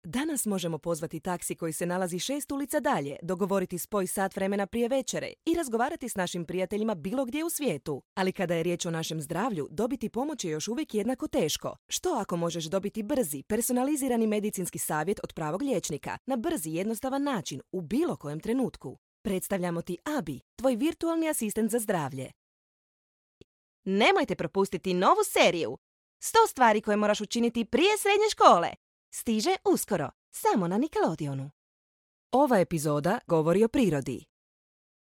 Danas možemo pozvati taksi koji se nalazi 6 ulica dalje, dogovoriti spoj sat vremena prije večere i razgovarati s našim prijateljima bilo gdje u svijetu. Ali kada je riječ o našem zdravlju, dobiti pomoć je još uvijek jednako teško. Što ako možeš dobiti brzi, personalizirani medicinski savjet od pravog liječnika na brzi i jednostavan način u bilo kojem trenutku? Predstavljamo ti Abi, tvoj virtualni asistent za zdravlje. Nemojte propustiti novu seriju 100 stvari koje moraš učiniti prije srednje škole. Stiže uskoro, samo na Nickelodeonu. Ova epizoda govori o prirodi.